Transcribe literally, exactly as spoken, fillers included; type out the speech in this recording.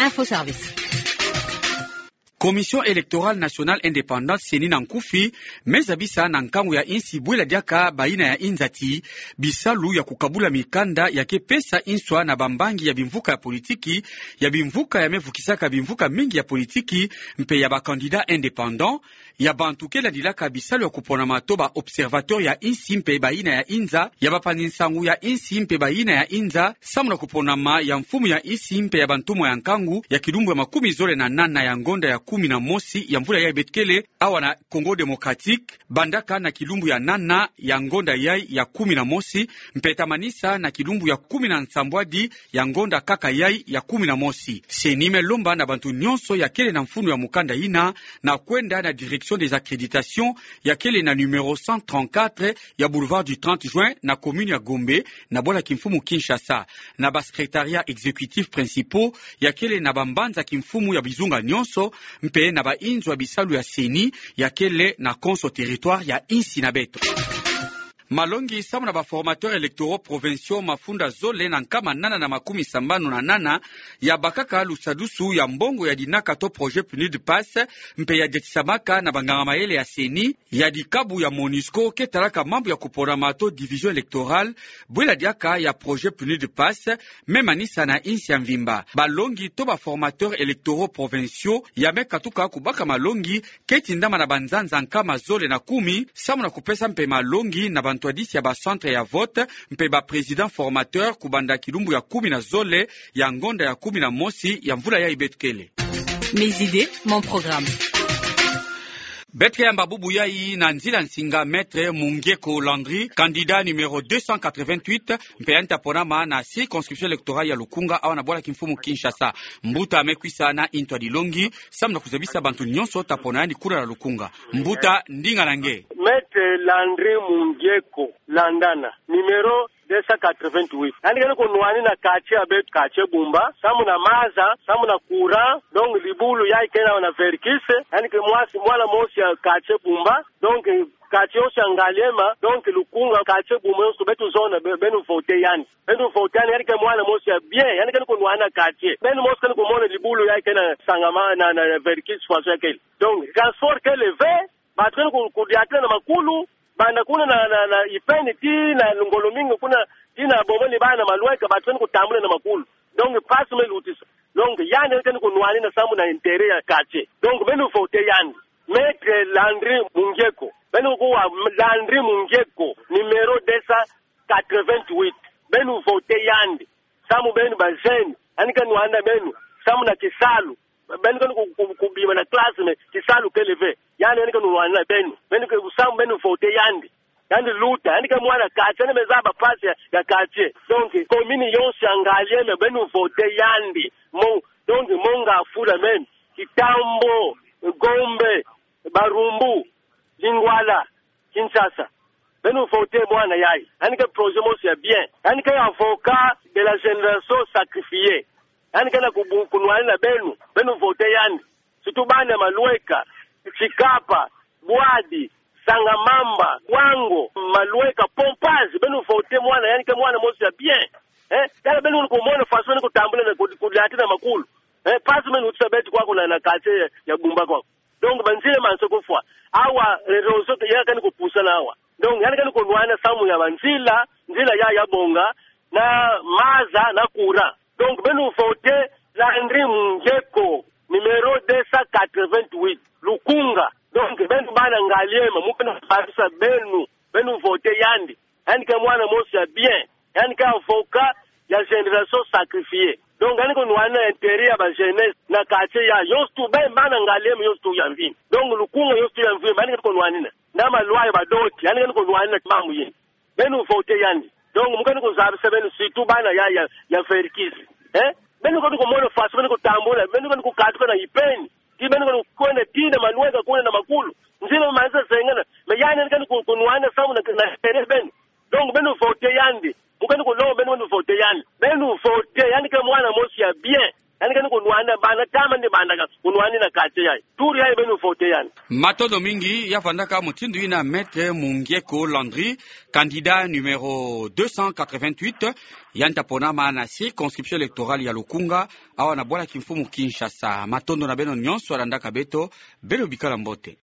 Info Service. Commission électorale nationale indépendante, CENI na nkufi, me zabisa na nkangu ya insi bwela diaka bayina ya inzati bisalu ya kukabula mikanda ya ke pesa inswa na bambangi ya bimvuka ya politiki, ya bimvuka ya me vukisaka bimvuka mingi ya politiki, mpe ya ba candidats indépendants, ya bantu ke landilaka bisalu ya kuponama to ba observateurs ya insi mpe bayina ya inza, ya bapanzi nsangu ya insi mpe bayina ya inza, samu na kuponama ya mfumu ya insi mpe ya bantumwa ya nkangu ya kilumbu ya makumi zole na nana ya ngonda ya kumi na mosi ya mvula yayi beto kele awa na Congo Démocratique, bandaka na kilumbu ya nana ya ngonda yayi ya kumi na mosi, mpe tamanisa na kilumbu ya kumi na nsambwadi ya ngonda kaka yayi ya kumi na mosi. CENI me lomba na bantu nyonso ya kele na mfunu ya mukanda yina na kwenda na direction des accréditations ya kele na numéro cent trente-quatre ya boulevard du trente juin na commune ya Gombe, na bwala kimfumu Kinshasa, na ba secrétariats exécutifs principaux ya kele na bambanza kimfumu ya bizunga nyonso, mpe na ba inzo ya bisalu ya CENI ya kele na konso territoire ya insi na beto. Malongi samu na ba formateurs électoraux provinciaux mafunda zole na nkama nana na makumi sambanu na nana ya bakaka lusadusu ya mbongo ya dinaka to projet PNUD PASS, mpe ya diatisamaka na banganga mayele ya CENI, ya dikabu ya MONUSCO ke talaka mambu ya kuponama to division électorale, bwela diaka ya projet PNUD PASS, me manisa na insi ya mvimba. Balongi to ba formateurs électoraux provinciaux ya me katuka kubaka malongi ke tindama na banzanza nkama zole na kumi, samu na kupesa mpe malongi na bantwadisi ya ba centres ya vote, mpe ba présidents formateurs kubanda kilumbu ya kumi na zole ya ngonda ya kumi na mosi ya mvula yayi beto kele. Mes idées, mon programme. Beto ke yamba bubu yayi na nzila nsinga Maître Mungieko Landry, candidat numéro deux cent quatre-vingt-huit, mpe yandi ta ponama na circonscription électorale ya Lukunga, awa na bwala kimfumu Kinshasa. Mbuta me kwisa na ntwadilongi samu na kuzabisa bantu nyonso ta pona yandi kuna na Lukunga. Mbuta, ndinga na nge. Maître Landry Mungieko Landana, numéro deux cent quatre-vingt-huit. Yandi ke ni kunwanina quartier ya beto, quartier Bumba, samu na maza, samu na courant, donc libulu yayi ke na, na Verckys, yandi ke mwasi, mwana mosi ya quartier Bumba, donc quartier yonso ya Ngaliema, donc Lukunga, quartier Bumba yonso, beto zona, be-, beno voter yandi. Beno voter yandi, yandi ke mwana mosi ya bien, yandi ke ni kunwanina quartier. Beno mosi ke ni kumona libulu yayi ke na Sangama, na, na, na Verckys, faso ya kele. Donc, transport kele ve, bantu ke ni ku-, kudiatila na makulu, banda kuna na, na, na Ipeni tii na Ngolo-Mingi kuna, tii na Bobo-Libaya na Malueka, bantu ke ni kutambula na makulu. Donc, mpasi me lutisa. Donc, yandi ke ni kunwanina samu na intérêt ya quartier. Donc, beno voter yandi. Maître Landry Mungieko. Beno kuwa Landry Mungieko, numéro deux cent quatre-vingt-huit. Beno voter yandi. Samu beno ba jeunes, yandi ke nwanina beno samu na kisalu. Beno ke ni ku-, ku-, kubima na classe, mais kisalu kele ve. Yandi, yandi ke nwanina beno. Beno ke, samu beno voter yandi. Yandi luta, yandi ke mwana quartier, yandi me zaba mpasi ya, ya quartier. Donc, commune yonso ya Ngaliema, beno voter yandi. Mo-, donc, Monga Fula même, Kitambo, Gombe, Barumbu, Lingwala, Kinshasa. Beno voter mwana yayi. Yandi ke projet mosi ya bien. Yandi ke avocat de la génération sacrifiée. Yandi ke na kubu-, kunwanina beno. Beno voter yandi. Surtout bana Malueka, Tshikapa, Bouadi, Sangamamba, Kwango, Malueka, Pompage. Beno voter mwana, yandi ke mwana mosi ya bien. Eh? Tala beno kumona faso ni kutambula na ku-, kudiatila na makulu. Eh? Mpasi me lutisa beto kwaku na, na quartier ya, ya Bumba kwaku. Donc, banzila manso kufwa. Awa, eh, réseau ya ke ni kupusana awa. Donc, yandi ke ni kunwanina samu ya banzila, nzila ya, ya bonga, na maza, na courant. Donc, beno voter Landry Mungieko, numéro deux cent quatre-vingt-huit, Lukunga. Donc, beno bana Ngaliema, mu ke ni kuparisa beno, beno voter yandi. Yandi ke mwana mosi ya bien. Yandi ke avocat ya génération sacrifiée. Donc, yandi ke nwanina intérêt ya ba jeunesse na quartier ya yonso tu, be bana Ngaliema yonso tu ya mvimba. Donc, Lukunga yonso tu ya mvimba, yandi ke ni kunwanina. Na Maluaya, Badoti, yandi ke ni kunwanina mambu yina. Beno voter yandi. Donc, mu ke ni kuzabisa beno, surtout bana ya, ya, ya Verckys. Eh? Beno ke ni kumona faso ke ni kutambula, beno ke ni kukatuka na Ipeni. Tii beno ke ni kwenda tii na Malueka kuna na makulu. Nzila manisa zengana. Mais yandi ke ni ku-, kunwanina samu na, na intérêt beno. Donc, beno voter yandi. Mu ke ni kulomba beno, beno voter yandi. Beno voter, yandi ke mwana mosi ya bien. Yandi kani kunwani bana kama ni bana ka kunwani na quartier yayi. Tour yayi beno voter yandi. Matondo mingi. Ya vandaka mutindu ina Maître Mungieko Landry, candidat numéro deux cent quatre-vingt-huit, yandi ta ponama na circonscription électorale ya Lukunga, awa na bwala kimfumu Kinshasa. Matondo na beno nyonso landaka beto, beno bikala mbote.